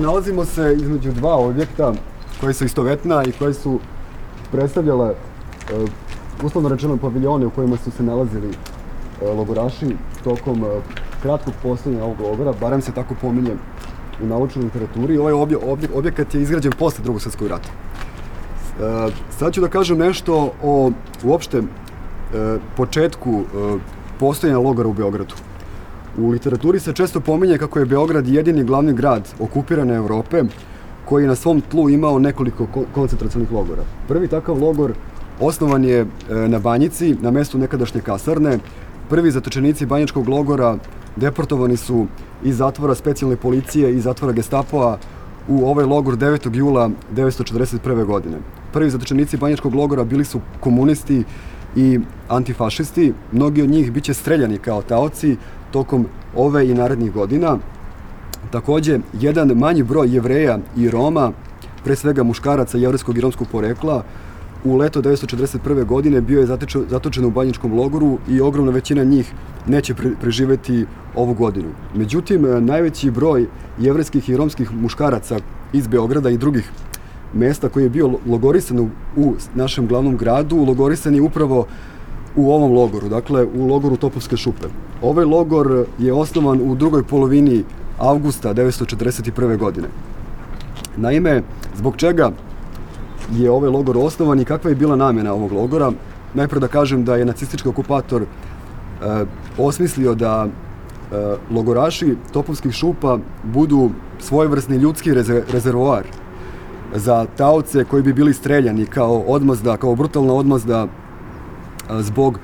Nalazimo se između dva objekta koji su istovetna i koji su predstavljale uslovno rečeno paviljone u kojima su se nalazili logoraši tokom kratkog postojanja ovog logora, barem se tako pominje u naučnoj literaturi. Ovaj objekat je izgrađen posle Drugog svjetskog rata. Sad ću da kažem nešto o uopšte početku postojanja logora u Beogradu. U literaturi se često pominje kako je Beograd jedini glavni grad okupirane Evrope koji je na svom tlu imao nekoliko koncentracionih logora. Prvi takav logor osnovan je na Banjici, na mestu nekadašnje kasarne. Prvi zatočenici banjičkog logora deportovani su iz zatvora specijalne policije i zatvora Gestapoa u ovaj logor 9. jula 1941. godine. Prvi zatočenici banjičkog logora bili su komunisti i antifašisti. Mnogi od njih biće streljani kao taoci tokom ove i narednih godina. Takođe, jedan manji broj Jevreja i Roma, pre svega muškaraca jevrejskog i romskog porekla, u leto 1941. godine bio je zatočen u banjičkom logoru i ogromna većina njih neće preživeti ovu godinu. Međutim, najveći broj jevrejskih i romskih muškaraca iz Beograda i drugih mesta koji je bio logorisan u našem glavnom gradu, logorisan je upravo u ovom logoru, dakle u logoru Topovske šupe. Ovaj logor je osnovan u drugoj polovini avgusta 1941. godine. Naime, zbog čega je ovaj logor osnovan i kakva je bila namjena ovog logora? Najpre da kažem da je nacistički okupator osmislio da logoraši Topovskih šupa budu svojevrsni ljudski rezervoar za taoce koji bi bili streljani kao odmazda, kao brutalna odmazda zbog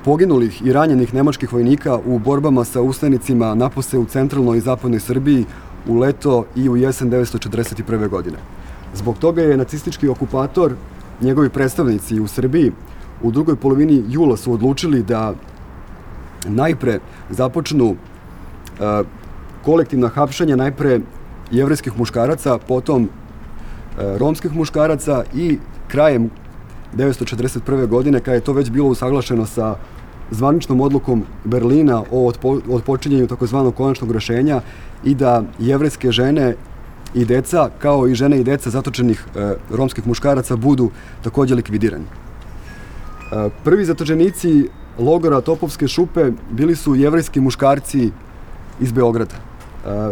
poginulih i ranjenih nemačkih vojnika u borbama sa ustanicima napose u centralnoj i zapadnoj Srbiji u leto i u jesen 1941. godine. Zbog toga je nacistički okupator, njegovi predstavnici u Srbiji, u drugoj polovini jula su odlučili da najpre započnu kolektivna hapšenja, najpre jevrejskih muškaraca, potom romskih muškaraca i krajem 1941. godine, kada je to već bilo usaglašeno sa zvaničnom odlukom Berlina o odpočinjenju takozvanog konačnog rešenja i da jevrejske žene i deca, kao i žene i deca zatočenih romskih muškaraca budu takođe likvidirani. Prvi zatočenici logora Topovske šupe bili su jevrejski muškarci iz Beograda.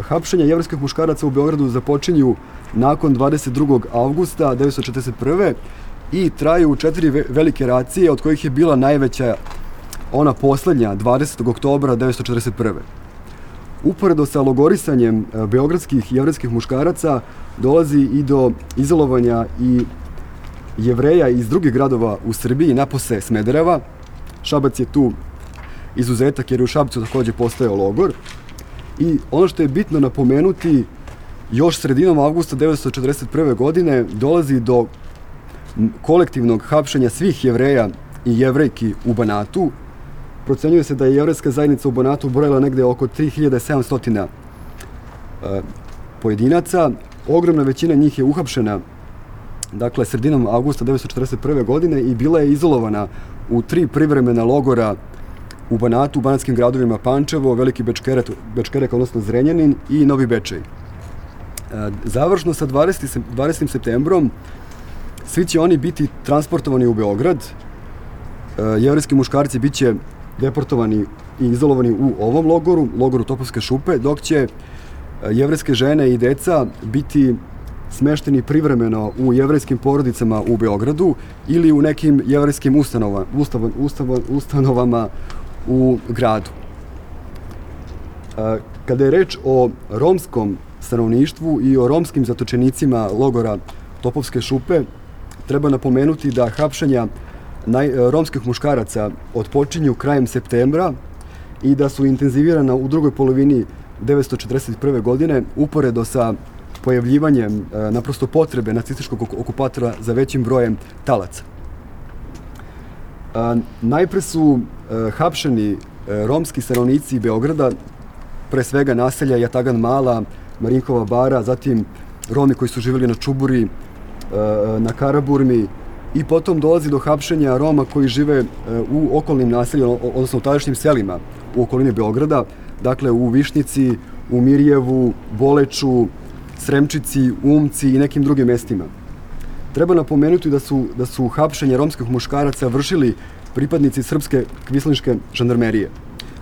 Hapšenja jevrejskih muškaraca u Beogradu započinju nakon 22. avgusta 1941. i traju 4 velike racije, od kojih je bila najveća ona poslednja 20. oktobra 1941. Uporedo sa logorisanjem beogradskih jevrejskih muškaraca dolazi i do izolovanja i Jevreja iz drugih gradova u Srbiji, napose Smedereva. Šabac je tu izuzetak jer je u Šapcu takođe postojao logor. I ono što je bitno napomenuti, još sredinom avgusta 1941. godine dolazi do kolektivnog hapšenja svih Jevreja i Jevrejki u Banatu. Procenjuje se da je jevrejska zajednica u Banatu brojila negde oko 3700 pojedinaca. Ogromna većina njih je uhapšena, dakle, sredinom avgusta 1941. godine i bila je izolovana u 3 privremena logora u Banatu, u banatskim gradovima Pančevo, Veliki Bečkerek, odnosno Zrenjanin i Novi Bečej. Završno sa 20. septembrom svi će oni biti transportovani u Beograd. Jevrejski muškarci biće deportovani i izolovani u ovom logoru Topovske šupe, dok će jevrejske žene i deca biti smešteni privremeno u jevrejskim porodicama u Beogradu ili u nekim jevrejskim ustanovama u gradu. Kada je reč o romskom stanovništvu i o romskim zatočenicima logora Topovske šupe, treba napomenuti da hapšenja romskih muškaraca odpočinju krajem septembra i da su intenzivirana u drugoj polovini 1941. godine uporedo sa pojavljivanjem naprosto potrebe nacističkog okupatora za većim brojem talaca. Najpre su hapšeni romski stanovnici Beograda, pre svega naselja Jatagan Mala, Marinkova bara, zatim Romi koji su živjeli na Čuburi, na Karaburmi, i potom dolazi do hapšenja Roma koji žive u okolnim naseljima, odnosno u tadašnjim selima u okolini Beograda, dakle u Višnjici, u Mirjevu, Boleču, Sremčici, Umci i nekim drugim mestima. Treba napomenuti da su hapšenje romskih muškaraca vršili pripadnici srpske kvislinške žandarmerije,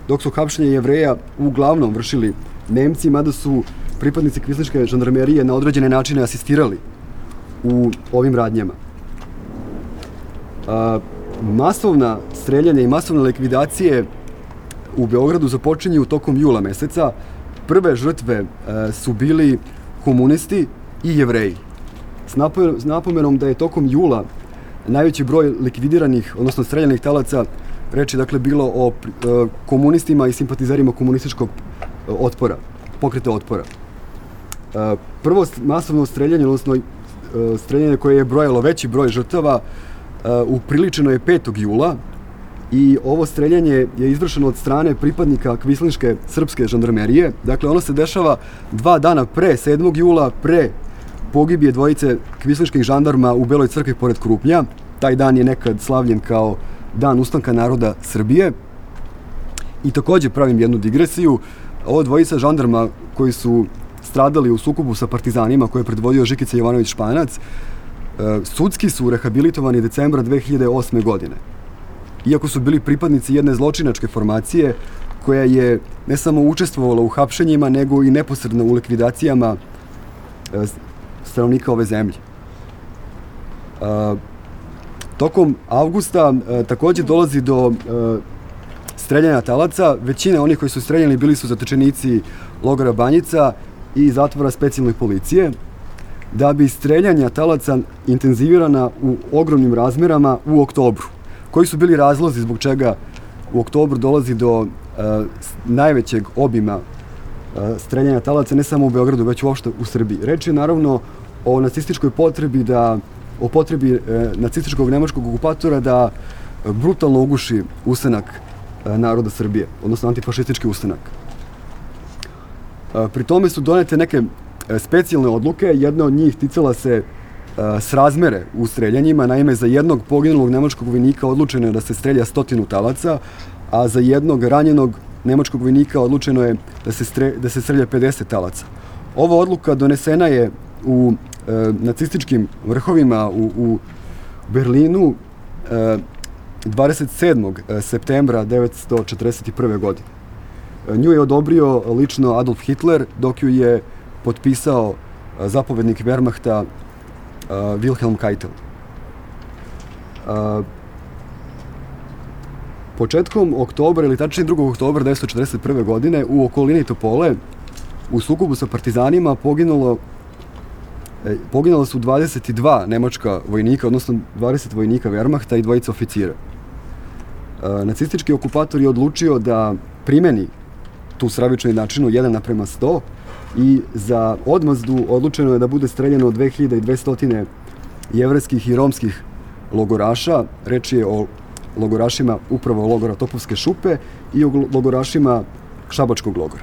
dok su hapšenje Jevreja uglavnom vršili Nemci, mada su pripadnici kvislinške žandarmerije na određene načine asistirali u ovim radnjama. Masovna streljanja i masovne likvidacije u Beogradu započinju tokom jula meseca. Prve žrtve su bili komunisti i Jevreji. S napomenom da je tokom jula najveći broj likvidiranih, odnosno streljanih talaca, reč je dakle bilo o komunistima i simpatizerima komunističkog otpora, pokreta otpora. Prvo masovno streljanje, odnosno streljanje koje je brojalo veći broj žrtava, upriličeno je 5. jula i ovo streljanje je izvršeno od strane pripadnika kvislinške srpske žandarmerije. Dakle, ono se dešava 2 dana pre 7. jula, pre pogibije dvojice kvislinških žandarma u Beloj crkvi pored Krupnja. Taj dan je nekad slavljen kao Dan ustanka naroda Srbije. I takođe pravim jednu digresiju. Ovo dvojica žandarma koji su stradali u sukobu sa partizanima koje je predvodio Žikica Jovanović Španac, sudski su rehabilitovani decembra 2008. godine. Iako su bili pripadnici jedne zločinačke formacije koja je ne samo učestvovala u hapšenjima, nego i neposredno u likvidacijama stanovnika ove zemlje. Tokom avgusta takođe dolazi do streljanja talaca. Većina onih koji su streljani bili su zatečenici logora Banjica i zatvora specijalne policije, da bi streljanja talaca intenzivirana u ogromnim razmerama u oktobru. Koji su bili razlozi zbog čega u oktobru dolazi do najvećeg obima streljanja talaca, ne samo u Beogradu, već uopšte u Srbiji. Reč je naravno o nacističkoj potrebi o potrebi nacističkog nemačkog okupatora da brutalno uguši ustanak naroda Srbije, odnosno antifašistički ustanak. Pri tome su donete neke specijalne odluke. Jedna od njih ticala se srazmere u streljanjima. Naime, za jednog poginulog nemačkog vojnika odlučeno je da se strelja 100 talaca, a za jednog ranjenog nemačkog vojnika odlučeno je da se strelja 50 talaca. Ova odluka donesena je u nacističkim vrhovima u Berlinu 27. septembra 1941. godine. Nju je odobrio lično Adolf Hitler, dok ju je potpisao zapovednik Wehrmachta Wilhelm Keitel. Početkom oktobra, ili tačnije 2. oktobra 1941. godine, u okolini Topole, u sukobu sa partizanima poginula su 22 nemačka vojnika, odnosno 20 vojnika Wehrmachta i 2 oficira. Nacistički okupator je odlučio da primeni tu stravičnu jednačinu 1:100 i za odmazdu odlučeno je da bude streljano 2200 jevrejskih i romskih logoraša. Reč je o logorašima upravo logora Topovske šupe i o logorašima Šabačkog logora.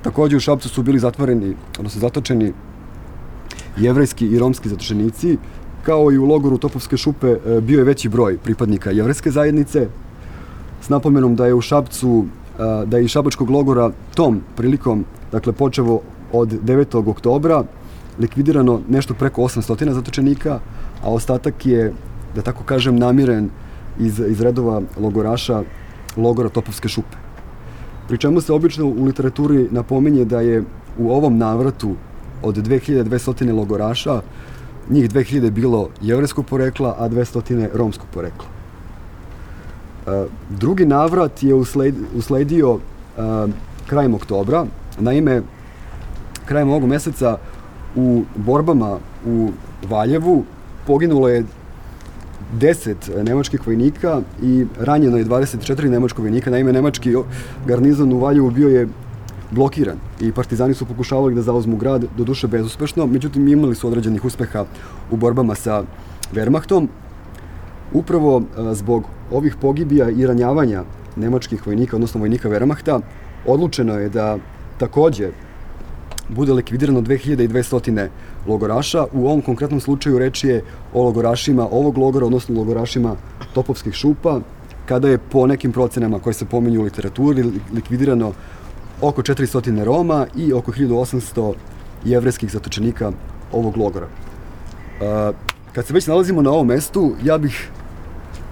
Takođe u Šapcu su bili zatvoreni, odnosno zatočeni jevrejski i romski zatočenici, kao i u logoru Topovske šupe bio je veći broj pripadnika jevrejske zajednice, s napomenom da je u Šapcu, da je iz Šabačkog logora tom prilikom, dakle počevo od 9. oktobra, likvidirano nešto preko 800 zatočenika, a ostatak je, da tako kažem, namiren iz redova logoraša logora Topovske šupe. Pri čemu se obično u literaturi napominje da je u ovom navratu od 2200 logoraša, njih 2000 bilo jevrejskog porekla, a 200 romskog porekla. Drugi navrat je usledio krajem oktobra. Naime, krajem ovog meseca u borbama u Valjevu poginulo je 10 nemačkih vojnika i ranjeno je 24 nemačkog vojnika. Naime, nemački garnizon u Valjevu bio je blokiran i partizani su pokušavali da zauzmu grad, doduše bezuspešno, međutim imali su određenih uspeha u borbama sa Wehrmachtom. Upravo zbog ovih pogibija i ranjavanja nemačkih vojnika, odnosno vojnika Wehrmachta, odlučeno je da takođe bude likvidirano 2200 logoraša. U ovom konkretnom slučaju reč je o logorašima ovog logora, odnosno logorašima Topovskih šupa, kada je po nekim procenama koje se pominju u literaturi likvidirano oko 400 Roma i oko 1800 jevrejskih zatočenika ovog logora. Kad se već nalazimo na ovom mestu, ja bih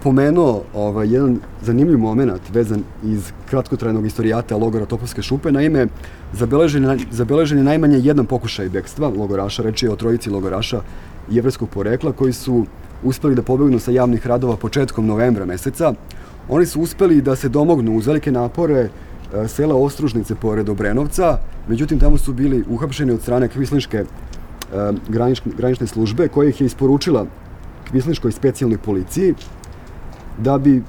pomenuo jedan zanimljiv moment vezan iz kratkotrajnog istorijata logora Topovske šupe. Naime, zabeležen je najmanje jedan pokušaj bekstva logoraša, reč je o trojici logoraša jevrejskog porekla koji su uspeli da pobegnu sa javnih radova početkom novembra meseca. Oni su uspeli da se domognu uz velike napore sela Ostružnice pored Obrenovca, međutim tamo su bili uhapšeni od strane kvislinške granične službe koja ih je isporučila kvislinškoj specijalnoj policiji da bi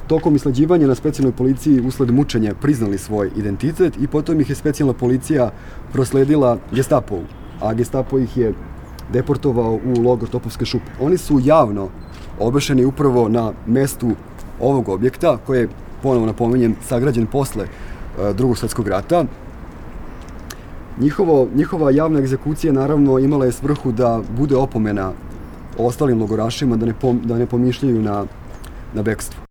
tokom isleđivanja na specijalnoj policiji usled mučenja priznali svoj identitet i potom ih je specijalna policija prosledila Gestapovu, a Gestapo ih je deportovao u logor Topovske šupe. Oni su javno obešeni upravo na mestu ovog objekta koji je, ponovo napominjem, sagrađen posle Drugog svjetskog rata. Njihova javna egzekucija naravno imala je svrhu da bude opomena ostalim logorašima da ne pomišljaju na bekstvo.